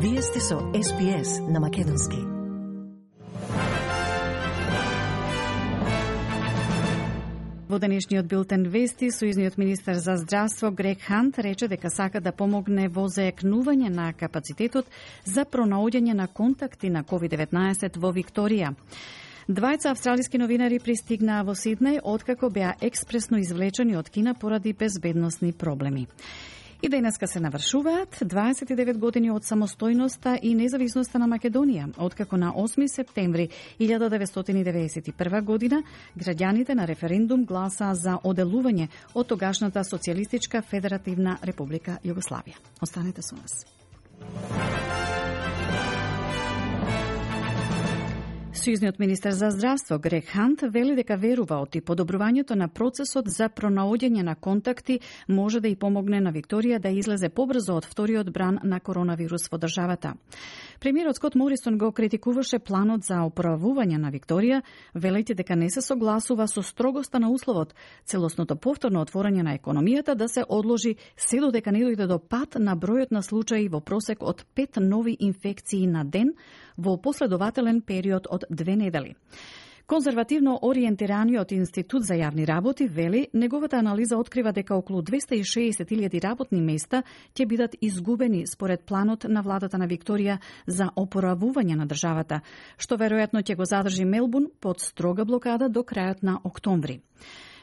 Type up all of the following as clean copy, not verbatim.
Вие сте со SPS на македонски. Во денешниот билтен вести, сојузниот министер за здравство Грег Хант рече дека сака да помогне во заекнување на капацитетот за пронаоѓање на контакти на COVID-19 во Викторија. Двајца австралиски новинари пристигнаа во Сиднеј откако беа експресно извлечени од Кина поради безбедносни проблеми. И денеска се навршуваат 29 години од самостојноста и независноста на Македонија, откако на 8 септември 1991 година граѓаните на референдум гласаа за оделување од тогашната Социјалистичка федеративна република Југославија. Останете со нас. Сојузниот министер за здравство Грег Хант вели дека верува оти подобрувањето на процесот за пронаоѓање на контакти може да и помогне на Викторија да излезе побрзо од вториот бран на коронавирус во државата. Премиерот Скот Морисон го критикуваше планот за оправување на Викторија, велејќи дека не се согласува со строгоста на условот целосното повторно отворање на економијата да се одложи се додека не дојде до пат на бројот на случаи во просек од 5 нови инфекции на ден во последователен период од 2 недели. Конзервативно ориентираниот Институт за јавни работи вели, неговата анализа открива дека околу 260.000 работни места ќе бидат изгубени според планот на владата на Викторија за опоравување на државата, што веројатно ќе го задржи Мелбурн под строга блокада до крајот на октомври.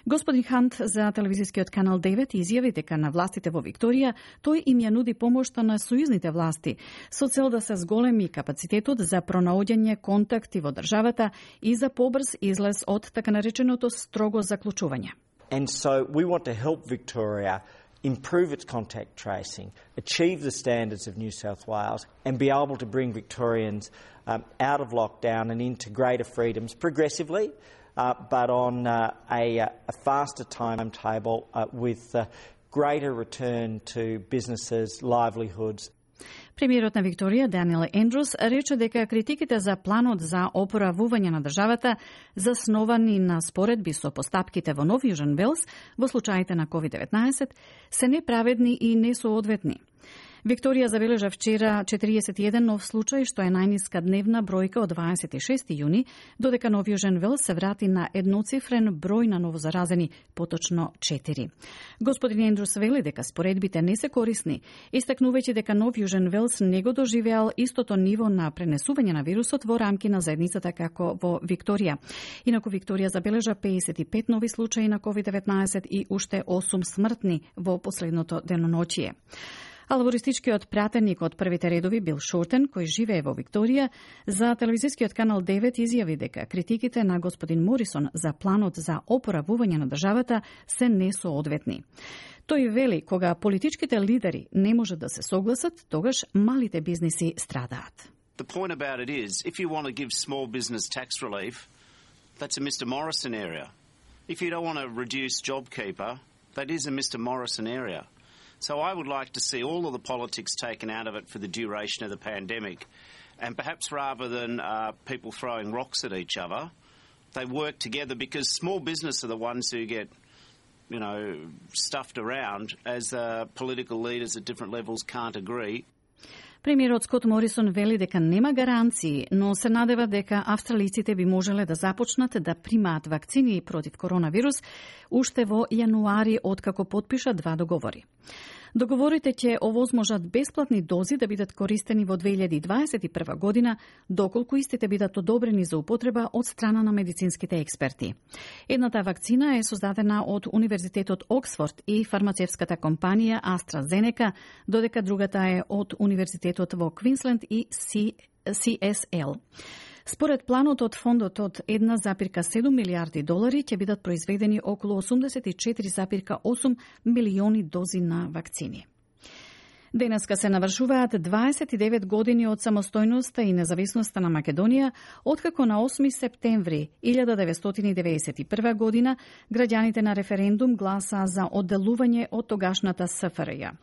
Господин Хант за телевизискиот канал 9 изјави дека на властите во Викторија тој им ја нуди помошта на сојузните власти со цел да се зголеми капацитетот за пронаоѓање контакти во државата и за побрз излез од така нареченото строго заклучување. And so we want to help Victoria improve its contact tracing, achieve the standards of New South Wales and be able to bring Victorians out of lockdown and into greater freedoms progressively. But on a faster timetable with greater return to businesses, livelihoods. Премиерот на Викторија, Даниел Ендрус, рече дека критиките за планот за опоравување на државата, засновани на споредби со постапките во Нов Јужен Велс во случаите на COVID-19, се неправедни и несоодветни. Викторија забележа вчера 41 нов случај, што е најниска дневна бројка од 26 јуни, додека Нов Јужен Велс се врати на едноцифрен број на новозаразени, поточно 4. Господин Ендрус вели дека споредбите не се корисни, истакнувајќи дека Нов Јужен Велс не го доживеал истото ниво на пренесување на вирусот во рамки на заедницата како во Викторија. Инаку Викторија забележа 55 нови случаи на COVID-19 и уште 8 смртни во последното деноноќие. А лабористичкиот пратеник од првите редови Бил Шортен, кој живее во Викторија, за телевизискиот канал 9 изјави дека критиките на господин Морисон за планот за опоравување на државата се несоодветни. Тој вели, кога политичките лидери не можат да се согласат, тогаш малите бизниси страдаат. The point about it is, if you want to give small business tax relief, that's a Mr. Morrison area. If you don't want to reduce JobKeeper, that is a Mr. Morrison area. So I would like to see all of the politics taken out of it for the duration of the pandemic. And perhaps rather than people throwing rocks at each other, they work together, because small business are the ones who get, stuffed around as political leaders at different levels can't agree. Премиерот Скот Морисон вели дека нема гаранции, но се надева дека австралиците би можеле да започнат да примаат вакцини против коронавирус уште во јануари, откако потпиша 2 договори. Договорите ќе овозможат бесплатни дози да бидат користени во 2021 година, доколку истите бидат одобрени за употреба од страна на медицинските експерти. Едната вакцина е создадена од Универзитетот Оксфорд и фармацевската компанија AstraZeneca, додека другата е од Универзитетот во Квинсленд и CSL. Според планот од фондот од 1,7 милиарди долари ќе бидат произведени околу 84,8 милиони дози на вакцини. Денеска се навршуваат 29 години од самостојноста и независноста на Македонија, откако на 8 септември 1991 година граѓаните на референдум гласаа за одделување од тогашната СФРЈ.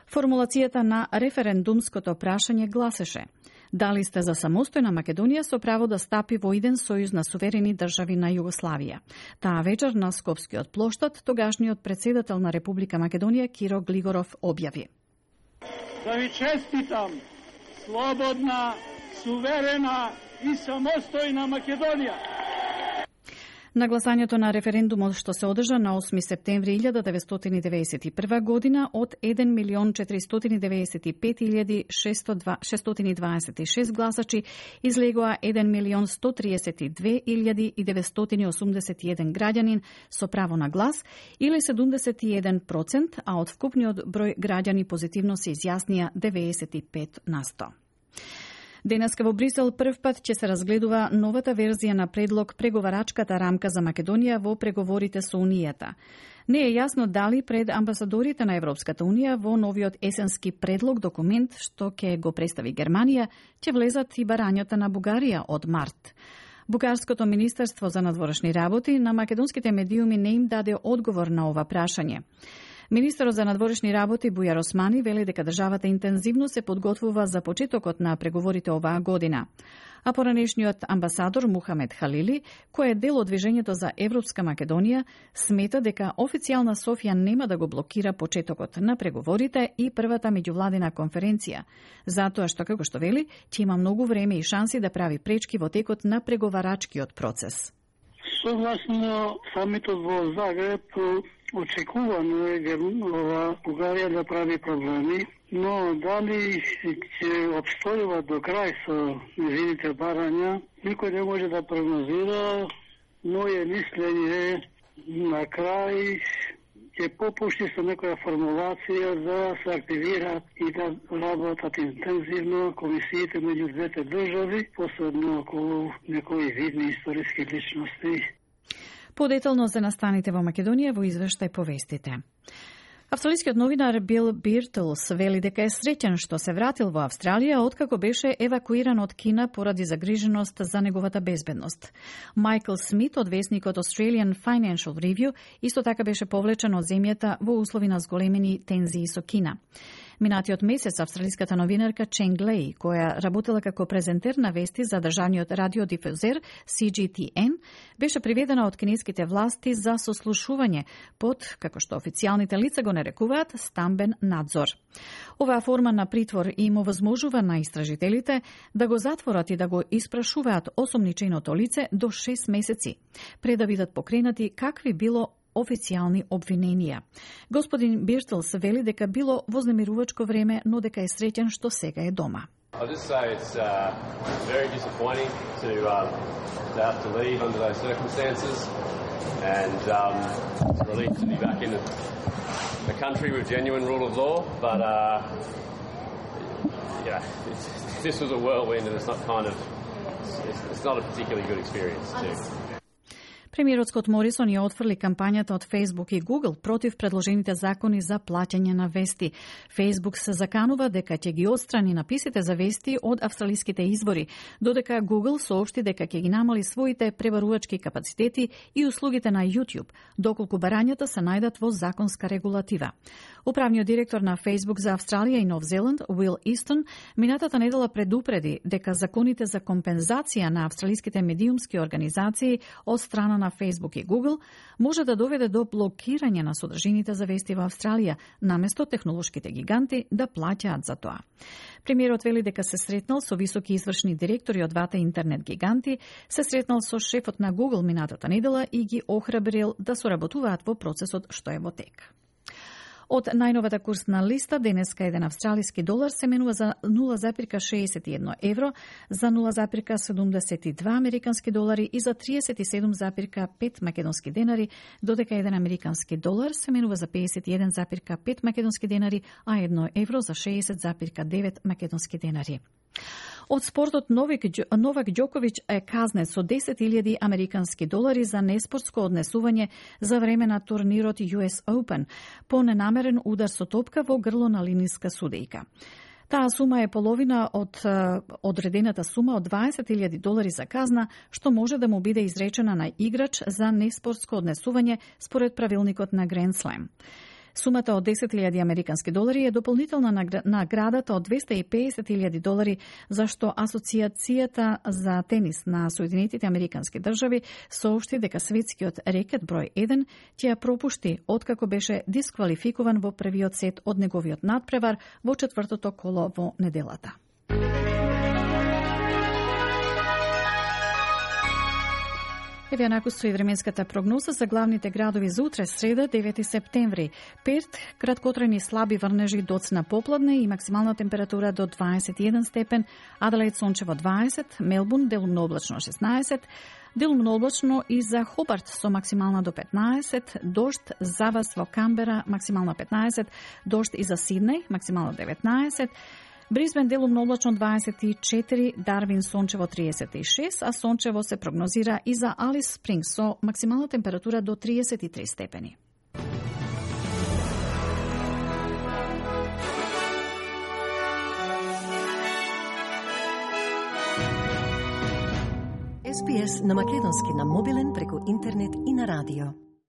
Формулацијата на референдумското прашање гласеше: дали сте за самостојна Македонија со право да стапи во иден сојуз на суверени држави на Југославија. Таа вечер на Скопскиот плоштад тогашниот претседател на Република Македонија Киро Глигоров објави: Да ви честитам слободна, суверена и самостојна Македонија. На гласањето на референдумот што се одржа на 8 септември 1991 година од 1.495.626 гласачи излегоа 1.132.981 граѓанин со право на глас или 71%, а од вкупниот број граѓани позитивно се изјаснија 95%. Денеска во Брисел прв пат ќе се разгледува новата верзија на предлог преговарачката рамка за Македонија во преговорите со Унијата. Не е јасно дали пред амбасадорите на Европската Унија во новиот есенски предлог документ што ќе го представи Германија ќе влезат и барањата на Бугарија од март. Бугарското министерство за надворешни работи на македонските медиуми не им даде одговор на ова прашање. Министерот за надворешни работи Бујар Османи вели дека државата интензивно се подготвува за почетокот на преговорите оваа година. А поранешниот амбасадор Мухамед Халили, кој е дел од движењето за Европска Македонија, смета дека официјална Софија нема да го блокира почетокот на преговорите и првата меѓувладина конференција, затоа што, како што вели, ќе има многу време и шанси да прави пречки во текот на преговарачкиот процес. Согласно самитот во Загреб, очекувано е Бугарија да прави проблеми, но дали ќе обстојува до крај со незините барања, никој не може да прогнозира. Моје мислење на крај ќе попушти со некоја формулација да се активира и да работат интензивно комисиите меѓу двете држави, посебно околу некои видни историски личности. Подетално се настаните во Македонија во извештај по вестите. Австралискиот новинар Бил Биртлс вели дека е среќен што се вратил во Австралија откако беше евакуиран од Кина поради загриженост за неговата безбедност. Майкл Смит од весникот Australian Financial Review исто така беше повлечен од земјата во услови на зголемени тензии со Кина. Минатиот месец австралиската новинарка Ченг Леј, која работела како презентер на вести за државниот радиодифузер CGTN, беше приведена од кинеските власти за сослушување под, како што официјалните лица го нарекуваат, стамбен надзор. Оваа форма на притвор им овозможува на истражителите да го затворат и да го испрашуваат осомниченото лице до 6 месеци, пред да бидат покренати какви било официјални обвиненија. Господин Биртлс вели дека било вознемирувачко време, но дека е среќен што сега е дома. I'll just say it's very disappointing to have to leave under those circumstances, and it's a relief to be back in a country with genuine rule of law. But this was a whirlwind, and it's not a particularly good experience too. Премиерот Скот Морисон ја отфрли кампањата од Facebook и Google против предложените закони за плаќање на вести. Facebook се заканува дека ќе ги отстрани написите за вести од австралиските извори, додека Google соопшти дека ќе ги намали своите пребарувачки капацитети и услугите на YouTube, доколку барањата се најдат во законска регулатива. Управниот директор на Facebook за Австралија и Нов Зеланд, Уил Истон, минатата недела предупреди дека законите за компензација на австралиските медиумски организации од страна на Facebook и Google може да доведе до блокирање на содржините за вести во Австралија, наместо технолошките гиганти да плаќаат за тоа. Премиерот вели дека се сретнал со високи извршни директори од двата интернет гиганти, се сретнал со шефот на Google минатата недела и ги охрабрил да соработуваат во процесот што е во тек. Од најновата курсна листа, денеска еден австралиски долар се менува за 0,61 евро, за 0,72 американски долари и за 37,5 македонски денари, додека еден американски долар се менува за 51,5 македонски денари, а 1 евро за 60,9 македонски денари. Од спортот Новак Ѓоковиќ е казнет со 10.000 американски долари за неспортско однесување за време на турнирот US Open по ненамерен удар со топка во грло на линиска судејка. Таа сума е половина од одредената сума од 20.000 долари за казна, што може да му биде изречена на играч за неспортско однесување според правилникот на Grand Slam. Сумата од 10.000 американски долари е дополнителна наградата од 250.000 долари, зашто Асоцијацијата за тенис на Соединетите американски држави соопшти дека светскиот рекет број 1 ќе ја пропушти откако беше дисквалификуван во првиот сет од неговиот надпревар во четвртото коло во неделата. Еве накусто и временската прогноза за главните градови за утре, среда, 9 септември. Перт, краткотрajни слаби врнежи доцна попладне и максимална температура до 21 степен, Аделаид сончево 20, Мелбурн делумно облачно 16, делумно облачно и за Хобарт со максимална до 15, дожд за вас во Камбера максимална 15, дожд и за Сиднеј максимална 19, Брисбен делумно облачно 24, Дарвин сончево 36, а сончево се прогнозира и за Алис Спрингс со максимална температура до 33 степени. SPS на македонски на мобилен преку интернет и на радио.